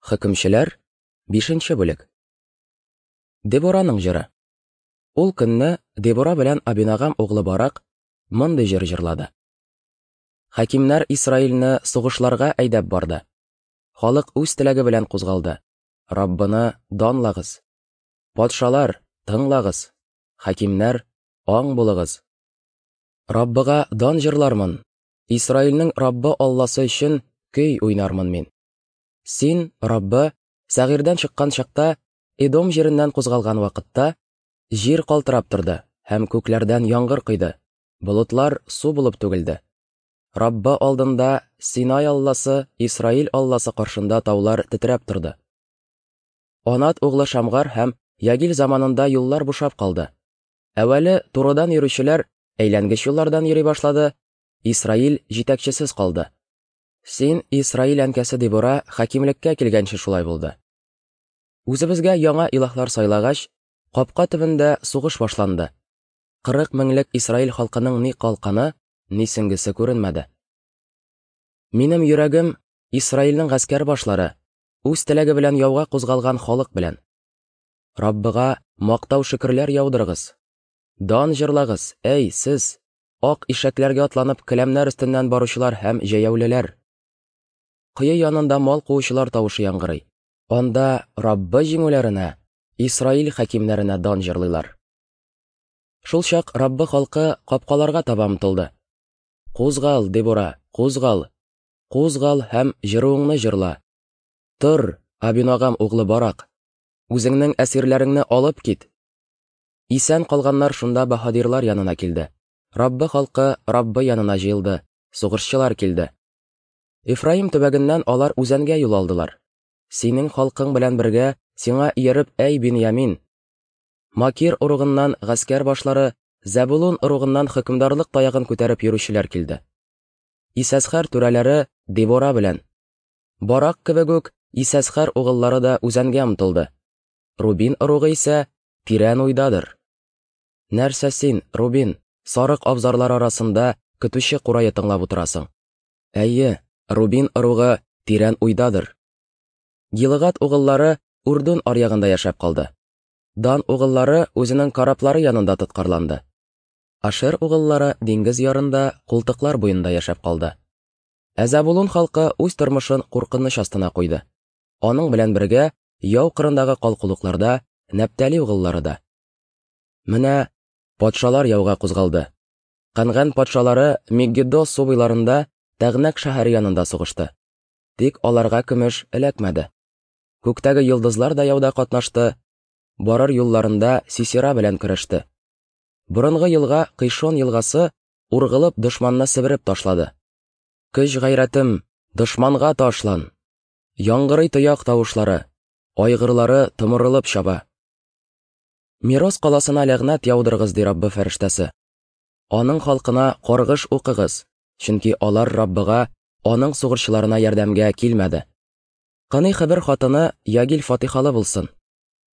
Хөкемчеләр, 5 бүлек. Дебораның җыры. Ул көнне Дебора белән Абинагам углы Барак мондый җыр җырлады. Хакимнәр Исраилне сугышларга әйдәп барды. Халык үз теләге белән кузгалды. Раббыны данлагыз. Патшалар, тыңлагыз. Хакимнәр, аң булыгыз. Раббыга дан җырлармын. Исраилнең Раббы Алласы өчен көй уйнармын мин. Син, Раббы, Сәгыйрдән чыккан чакта, Эдом җиреннән кузгалган вакытта, җир калтырап торды һәм күкләрдән яңгыр койды, болытлар су булып түгелде. Раббы алдында Синай Алласы, Исраил Алласы каршында таулар тетрәп торды. Анат углы Шамгар һәм Ягил заманында юллар бушап калды. Әүвәле турыдан йөрүчеләр әйләнгеч юллардан йөри башлады, Исраил җитәкчесез калды. Син, Исраил әнкәсе Дебора, хакимлеккә килгәнче шулай булды. Үзебезгә яңа илаһлар сайлагач, капка төбендә сугыш башланды. 40 меңлек Исраил халкының ни калканы, ни сөңгесе күренмәде. Минем йөрәгем Исраилнең гаскәр башлары, үз теләге белән яуга кузгалган халык белән. Раббыга мактау шөкерләр яудырыгыз. Дан җырлагыз, әй, сез, ак ишәкләргә атланып келәмнәр өстеннән баручылар һәм җәяүлеләр. Кое янында мал куучылар тавышы яңгырый. Анда Раббы җиңүләренә, Исраил хакимнәренә дан җырлыйлар. Шул чак Раббы халкы капкаларга таба омтылды. Кузгал, Дебора, кузгал. Кузгал һәм җыруыңны җырла. Тор, Абинагам углы Барак. Үзеңнең әсирләреңне алып кит. Исән калганнар шунда баһадирлар янына килде. Раббы халкы Раббы янына җыелды, сугышчылар килде. Ефраим төбәгеннән алар үзәнгә юл алдылар. Синең халкың белән бергә сиңа ияреп, әй Беньямин! Макир ыругыннан гаскәр башлары, Зәбулун ыругыннан хөкемдарлык таягын күтәреп йөрүчеләр килде. Исәсхәр түрәләре Дебора белән. Барак кебек үк Исәсхәр угыллары да үзәнгә омтылды. Рубин ыругы исә тирән уйдадыр. Нәрсә син, Рубин, сарык абзарлары арасында көтүче курае тыңлап утырасың? Әйе, Рубин ыругы тирән уйдадыр. Гилыгат угыллары Урдун аръягында яшәп калды. Дан угыллары үзенең кораблары янында тоткарланды. Ашер угыллары диңгез ярында, култыклар буенда яшәп калды. Ә Зәбулун халкы үз тормышын куркыныч астына куйды. Аның белән бергә яу кырындагы калкулыкларда Нәптали угыллары да. Менә патшалар яуга кузгалды. Канган патшалары Мегиддо су буйларында Тәгънәк шәһәре янында сугышты. Тик аларга көмеш эләкмәде. Күктәге йолдызлар да яуда катнашты, барыр юлларында Сисера белән көрәште. Борынгы елга Кыйшон елгасы ургылып дошманны себереп ташлады. Көч-гайрәтем, дошманга ташлан! Яңгырый тояк тавышлары, айгырлары томырылып чаба. Мирос каласына ләгънәт яудырыгыз, ди Раббы фәрештәсе. Аның халкына каргыш укыгыз, чөнки алар Раббыга, аның сугышчыларына ярдәмгә килмәде. Кыный Хәбер хатыны Ягил фатихалы булсын.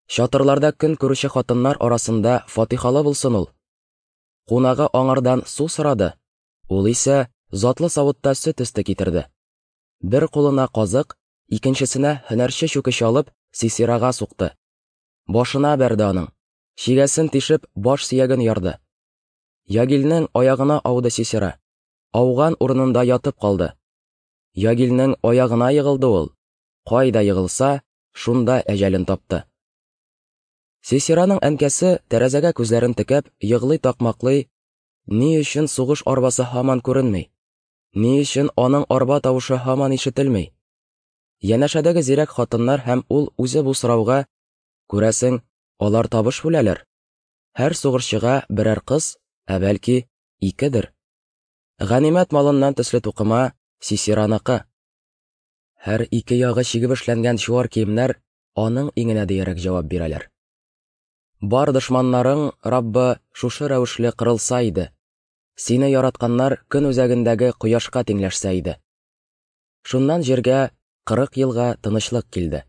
Чатырларда көн күрүче хатыннар арасында фатихалы булсын ул. Кунагы аңардан су сорады, ул исә затлы савытта сөт өсте китерде. Бер кулына казык, икенчесенә һөнәрче чүкеч алып, Сисирага сукты. Башына бәрде аның. Чигәсен тишеп, баш сөяген ярды. Ягилнең аягына ауды Сисера. Ауган урынында ятып калды. Ягилнең аягына егылды ул. Кайда егылса, шунда әҗәлен тапты. Сисераның әнкәсе тәрәзәгә күзләрен текәп, егълый такмаклый, ни өчен сугыш арбасы һаман күренми? Ни өчен аның арба тавышы һаман ишетелми? Янәшәдәге зирәк хатыннар һәм ул үзе бу сорауга, күрәсең, алар табыш бүләләр. Һәр сугышчыга берәр кыз, ә бәлки икедер. Ганимәт малыннан төсле тукыма Сисераныкы. Һәр ике ягы чигеп эшләнгән чуар киемнәр аның иңенә диярәк җавап бирәләр. Бар дошманнарың, Раббы, шушы рәвешле кырылса иде. Сине яратканнар көн үзәгендәге кояшка тиңләшсә иде. Шуннан җиргә 40 елга тынычлык килде.